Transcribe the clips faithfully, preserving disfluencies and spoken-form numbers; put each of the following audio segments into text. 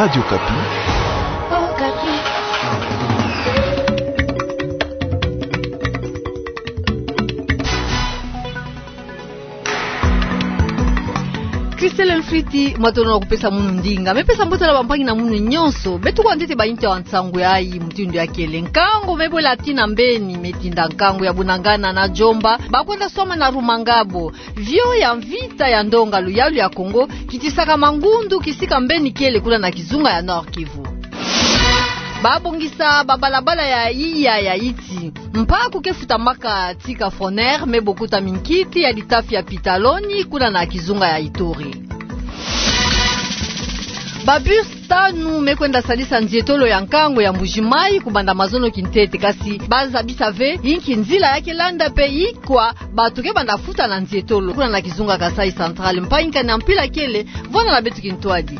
Radio Okapi. Christelle Mfriti, matondo na kupesa munu ndinga. Me pesa mbote na bampangi na munu nyonso. Beto kwa ntete ba inti ya nsangu yayi mutindu ya kele. Nkangu me bwela tii na mbeni, me tinda nkangu ya Bunagana na Djomba, ba kwenda swama na Rumangabo. Avion ya mvita ya ndonga luyalu ya Kongo kitisaka mangundu kisika mbeni kele kuna na kizunga ya Nord-Kivu. Ba bongisa babalabala ya iya ya Iti. Mpaku ke futamaka tii ka Foner, me bokuta minkiti ya litafi ya Pitaloni kuna na kizunga ya Ituri. Ba bus tanu me kwenda sadisa nzietolo ya nkangu ya Mbuji-Mayi kubanda mazono kintete, kasi ba zabisa ve inki nzila ya ke landa pe ikwa bato ke banda futa na nzietolo kuna na kizunga Kasaï Central. Mpangi-nkani ya mpila kele, vwanda na beto kintwadi.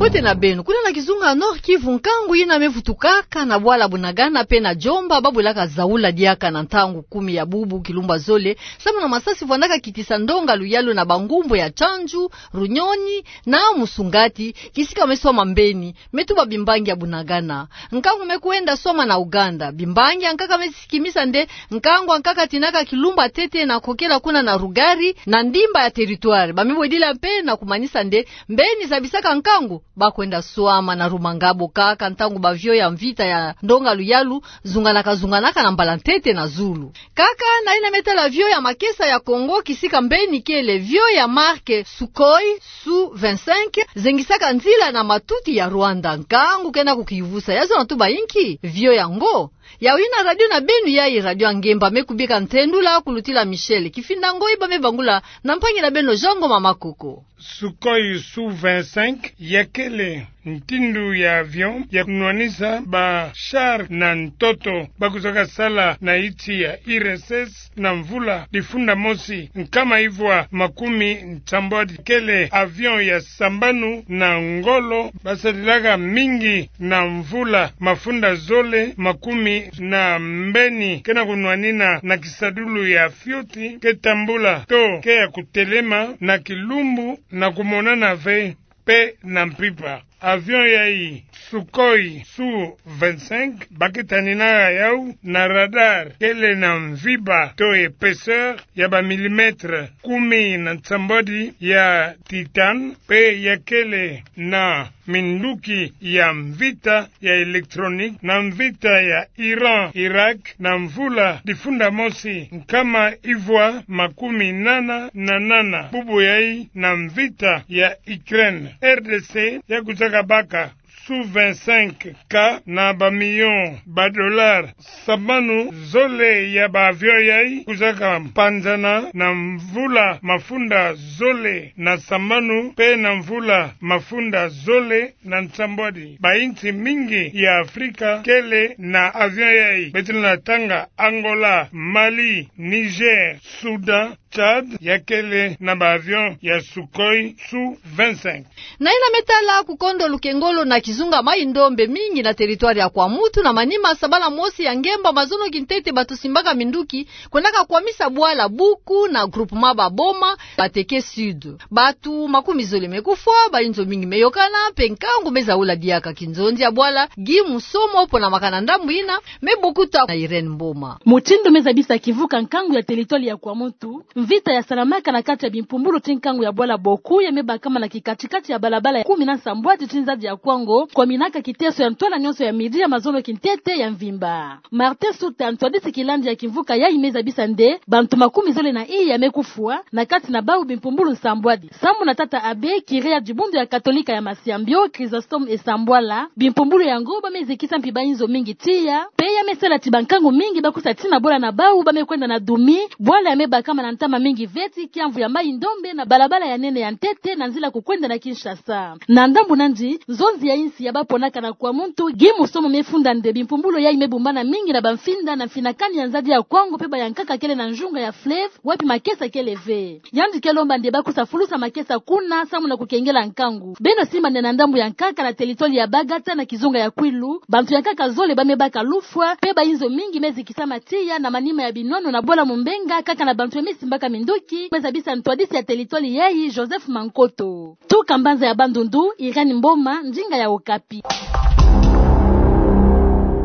Mbote na beno. Kuna na kizunga Nord-Kivu, nkangu yina me vutukaka na bwala Bunagana pe na Djomba, ba bwelaka zaula diaka na ntangu kumi ya bubu, kilumbu ya zole, samu na masasi vwandaka kitisa ndonga luyalu na bangumbu ya Tchandju, Runyoni na Musungati, kisika me swama mbeni, me tuba bimbangi ya Bunagana. Nkangu me kwenda swama na Uganda. Bimbangi ya nkaka me sikimisa nde nkangu ya nkaka tinaka kilumbu ya ntete na kokela kuna na Rugari, na ndimba ya territoire. Ba me bwedila mpe na kumanisa nde mbeni zabisaka nkangu ba kwenda swama na Rumangabo kaka ntangu ba avion ya mvita ya ndonga luyalu zunganaka, zunganaka na mbala ntete na zulu. Kaka na yina me tala avion ya makesa ya Kongo, kisika mbeni kele avion ya marque Sukhoi Su vingt-cinq, zengisaka nzila na matuti ya Rwanda. Nkangu ke na kukivusa, ya zona tuba inki avion yango. Yawu yina radio na beno yayi, Radio Angemba, me kubika ntendula kulutila Michel Kifinda Ngoi, ba me bangula na mpangi na beno Jean Ngoma Makoko. Sukhoi Su vingt-cinq ya kele ntindu ya avion ya kunwanisa ba char na ntoto, ba kuzaka sala na iti ya I R S S na mvula difunda mosi nkama ivwa makumi nsambwadi. Kele avion ya sambanu na ngolo ba sadilaka mingi na mvula mafunda zole makumi na mbeni, ke na kunwanina na kisadulu ya fioti ke tambula to ke ya kutelema na kilumbu na kumonana ve pe na mpimpa. Avion yayi, Sukhoi Su vingt-cinq, ba ke tanina yawu na radar kele na mvimba to épaisseur ya ba millimètre kumi na nsambwadi ya titane, pe ya kele na minduki ya mvita ya électronique na mvita ya Iran, Irak, na mvula difunda mosi nkama ivwa makumi nana na nana. Bubu yayi na mvita ya Ukraine. R D C ya kuzaka baka Su vingt-cinq K na ba million ba dollar. Sambanu zole ya ba avion yayi kuzaka mpanzana na mvula mafunda zole na sambanu pe na mvula mafunda zole na nsambwadi. Ba insi mingi ya Afrika kele na avion yayi. Beto na tanga Angola, Mali, Niger, Soudan, Tchad, ya kele na ba avion ya Sukhoi Su vingt-cinq. Na yina me tala kukondo lukengolo na kizunga Mayi-Ndombe, mingi na territoire ya Kwamutu, na manima sabala mosi ya ngemba mazono kintete bato simbaka minduki kwendaka kwamisa bwala Buku na groupement Baboma, Bateke Sud. Bato makumi zole me kufwa, ba inzo mingi me yokana, pe nkangu me zaula diaka. Kinzonzi ya bwala Guy Musomo, pona makana ndambu yina, me bokuta na Irène Mboma. Mutindu me zabisa kivuka nkangu ya territoire ya Kwamutu, mvita ya salamaka na kati ya bimpumbulu ti nkangu ya bwala Boku ya me bakama na kikati-kati ya balabala ya kumi na nsambwadi ti nzadi ya Kwango, kwaminaka kiteso ya ntwala nyonso ya midi ya mazono kintete ya mvimba. Martin Suta, ntwadisi kilandi ya kimvuka yayi, me zabisa nde bantu makumi zole na iya me kufwa, na kati na bawu bimpumbulu nsambwadi. Samu na tata abbé, curé ya dibundu ya Katolika ya Masiambio, Chrysostome Esambwala, bimpumbulu yango ba me zikisa mpi ba inzo mingi tiya, pe ya me sala ti bankangu mingi ba kusa tii na bwala na bawu ba me kwenda na dumi, bwala ya me bakama na ntama mingi ve ti kiamvu ya Mayi-Ndombe na balabala ya nene ya ntete na nzila kukwenda na Kinshasa. Na ndambu nandi, nzonzi ya insi ya baponaka na Kwamutu, Guy Musomo me funda nde bimpumbulu yayi me bumbana mingi na bamfinda na mfinakani ya nzadi ya Kwango pe bayankaka kele na nzunga ya fleuve, wapi makesa kele ve. Yandi ke lomba nde ba kusa fulusa makesa kuna, samu na kukengela nkangu. Beno simba nde na ndambu ya nkaka na territoire ya Bagata na kizunga ya Kwilu, bantu ya nkaka zole ba me baka lufwa, pe ba inzo mingi me zikisama tiya na manima ya binwano na bwala Mumbenga, kaka na bantu ya me simba Ka mindoki me zabisa ntwadisi ya teritware yayi, Joseph Mankoto. Tuka mbanza ya Bandundu, Irène Mboma, ndinga ya Okapi.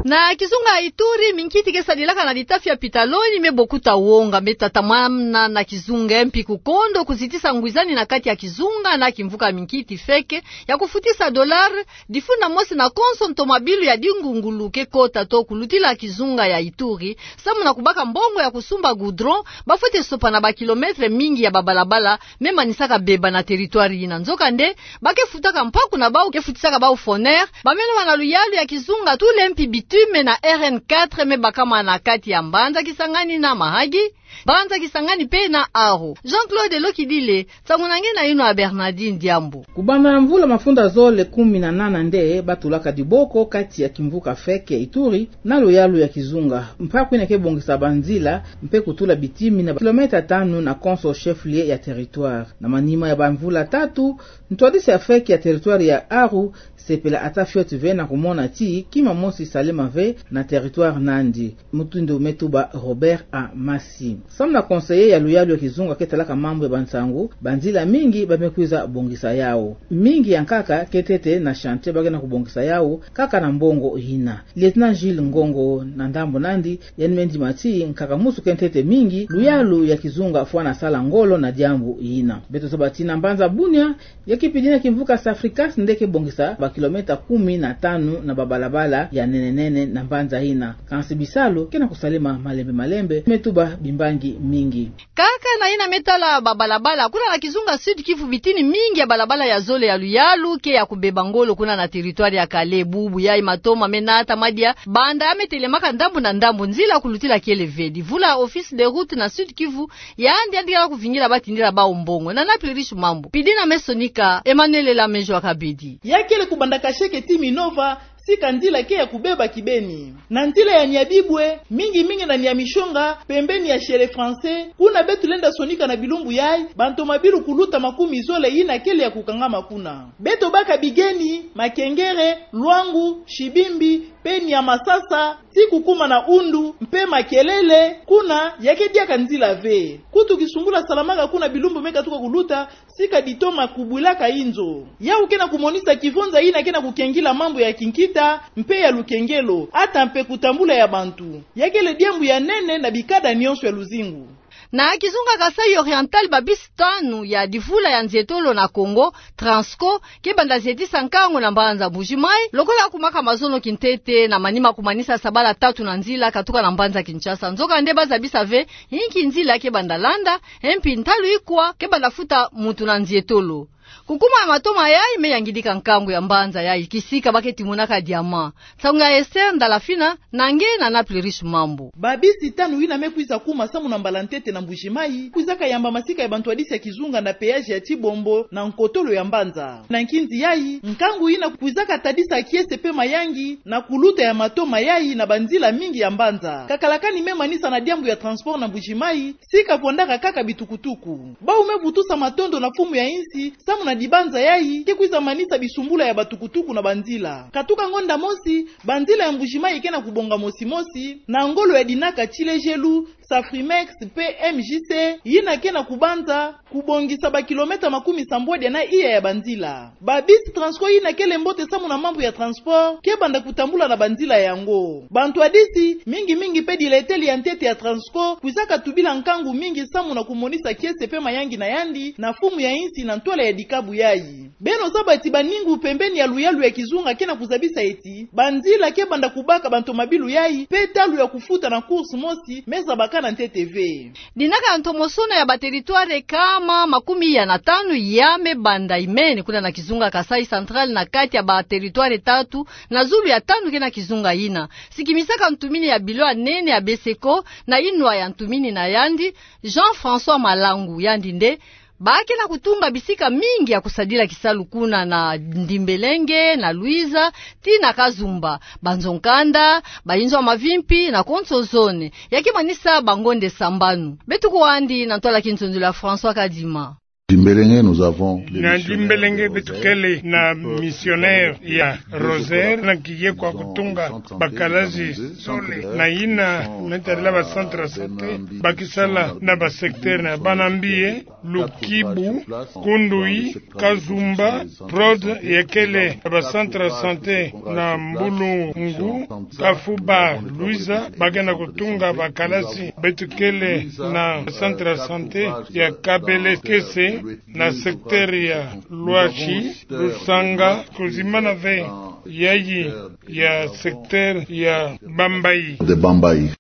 Na kizunga Ituri, minkiti ke sadilaka na litafi ya pitaloni me bokuta wonga, me tatamana na kizunga mpi kukondo kuzitisa ngwizani na kati ya kizunga na kimvuka minkiti feke ya kufutisa dollar, difuna mosi na konso ntomabilu ya dingungulu ke kota to kulutila kizunga ya Ituri, samu na kubaka mbongo ya kusumba goudron, bafwete sopana ba kilomètre mingi ya babalabala me manisaka beba na teritware yina. Nzokande, ba ke futaka mpaku na bau ke futisaka bau Foner, bameno bana luyalu ya kizunga tule mpi bitume na R N quatre me bakama na kati ya mbanza Kisangani na Mahagi, mbanza Kisangani mpe na Aru. Jean-Claude Lokidile, nsangu na nge na yinwa ya Bernardine Diambu. Kubanda mvula mafunda zole kumi na nana nde batulaka diboko kati ya kimvuka feke Ituri na luyalu ya kizunga. Mpaku yina ke bongisa banzila mpe kutula bitimi na kilomètre tanu na konso chef-lieu ya territoire. Na manima ya bamvula tatu, ntwadisi ya feke ya territoire ya Aru sepela ata fioti ve na kumona ti kima mosi salema ve na territoire nandi. Mutindu me tuba Robert Amasi, samu na conseiller ya luyalu ya kizunga ke talaka mambu ya bansangu, banzila mingi ba me kwiza bongisa yau. Mingi ya nkaka ke ntete na chantier ba ke na kubongisa yau kaka na mbongo yina. Lieutenant Jules Ngongo, na ndambu nandi, yandi me ndima ti nkaka mosi ke ntete mingi, luyalu ya kizunga fwana sala ngolo na diambu yina. Beto zaba ti na mbanza Bunia, ya kipidi na kimvuka Safricas nde ke bongisa ba kilomètre kumi na tanu na babalabala ya nene nene na mbanza yina. Kansi bisalu ke na kusalema malembe malembe, me tuba bimbangi mingi. Kaka na yina me tala babalabala, kuna na kizunga Sud-Kivu bitini mingi ya balabala ya zole ya luyalu ke ya kubeba ngolo kuna na territoire ya Kale. Bubu yayi matoma me nata madia, banda ya me telemaka ndambu na ndambu, nzila kulutila kele ve. Divula office de route na Sud-Kivu, yandi yandi kala kuvingila batindila bau mbongo. Na Naples Riche Mambu, pidi na me sonika Emmanuel Lamejo Akabedi. Ya kele kubanda Kasheke ti Minova, sika nzila ke ya kubeba kibeni. Na nzila ya Nyabibwe, mingi mingi na Nyamishonga, pembeni ya Chez les Français, kuna beto lenda sonika na bilumbu yayi bantomabilu kuluta makumi zole yina kele ya kukangama kuna. Beto baka Bigeni, Makengere, Luangu, Shibimbi, mpe Nyamasasa, ti kukuma na Undu, mpe Makelele, kuna ya ke diaka nzila ve. Kutu kisumbula salamaka kuna bilumbu me katuka kuluta, sika ditoma kubwilaka inzo. Yau ke na kumonisa kivonza yina ke na kukengila mambu ya kinkita, mpe ya lukengelo, ata mpe kutambula ya bantu. Ya kele diambu ya nene na bikada nyonso ya luzingu. Na kizunga Kasaï Oriental, ba bisi tanu ya divula ya nzietolo na Congo, Transco, ke banda zietisa nkangu na mbanza Mbuji-Mayi, lokola kumaka mazono kintete na manima kumanisa sabala tatu na nzila katuka na mbanza Kinshasa. Nzokande ba zabisa ve inki nzila ke banda landa, mpi ntalu ikwa ke banda futa muntu na nzietolo. Kukuma ya matoma yayi me yangidika nkangu ya mbanza yayi, kisika ba ke timonaka diamant. Nsangu ya Esther Ndalafina, na nge na Naples Riche Mambu. Ba bisi tanu yina me kwiza kuma samu na mbala ntete na Mbuji-Mayi, kwizaka yamba masika ya bantwadisi ya kizunga na péage ya Tshibombo na nkotolo ya mbanza. Na nkinzi yayi, nkangu yina kwizaka tadisa kiese mpe mayangi na kuluta ya matoma yayi na banzila mingi ya mbanza. Kakalakani me manisa na diambu ya transport na Mbuji-Mayi, sika pondaka kaka bitukutuku. Bau me vutusa matondo na mfumu ya insi, samu na dibanza yayi ke kwiza manisa bisumbula ya batukutuku na banzila. Katuka ngonda mosi, banzila ya Mbuji-Mayi ke na kubonga mosi mosi, na ngolo ya dinaka Tshilejelu, Safrimex mpe M J C, yina ke na kubanza kubongisa ba kilomètre makumi sambwadia na iya ya banzila. Ba bisi Transco yina kele mbote samu na mambu ya transport, ke banda kutambula na banzila yango. Bantwadisi, mingi mingi mpe dileteli ya ntete ya Transco, kwizaka tubila nkangu mingi samu na kumonisa kiese mpe mayangi na yandi na mfumu ya insi na ntwala ya dikabu yayi. Beno zaba ti baningu pembeni ya luyalu ya kizunga ke na kuzabisa ti banzila ke banda kubaka bantomabilu yayi, mpe ntalu ya kufuta na course mosi me zabakana ntete ve. Dinaka ya ntomosono ya ba territoire kama makumi iya na tanu ya me banda imene kuna na kizunga Kasaï Central, na kati ya ba territoire tatu na zulu ya tanu ke na kizunga yina. Sikimisaka ntumini ya bilo ya nene ya BESECO na yinwa ya ntumini na yandi, Jean-François Malangu, yandi nde ba ke na kutunga bisika mingi ya kusadila kisalu kuna na Ndimbelenge, na Luiza, tii na Kazumba, banzo-nkanda, bayinzo ya mavimpi na konso zone. Ya ke manisa bangonde sambanu. Beto kwandi na ntwala ya kinzonzolo ya François Kadima. Dimbelenge, nous avons na Dimbelenge beto kele na missionnaire ya Rosaire, na kiye kwa kutunga bakalasi sole na yina metarila ba centre santé, bakisala na ba secteur na Banambie, Lukibu, Kundui, Kazumba, Prod, ya kele ba centre santé na Mbulungu, Kafuba, Luiza, bakena kutunga bakalasi. Beto kele na centre santé ya Kabelekese, na secteur ya Luashi, Lusanga, kuzimanave yayi ya secteur ya Bambayi. De Bambayi.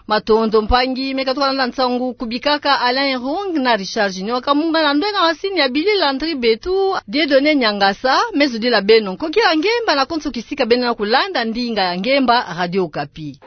Matondo mpangi meka twalanda nsangu kubikaka. Alain Rung na Richard Junior Kamunga na ndwenga masini ya Billy Landry Betu, Dieudonné Niangasa, me zodila beno nkoki ya ngemba na konso kisika beno na kulanda ndinga ya ngemba Radio Okapi.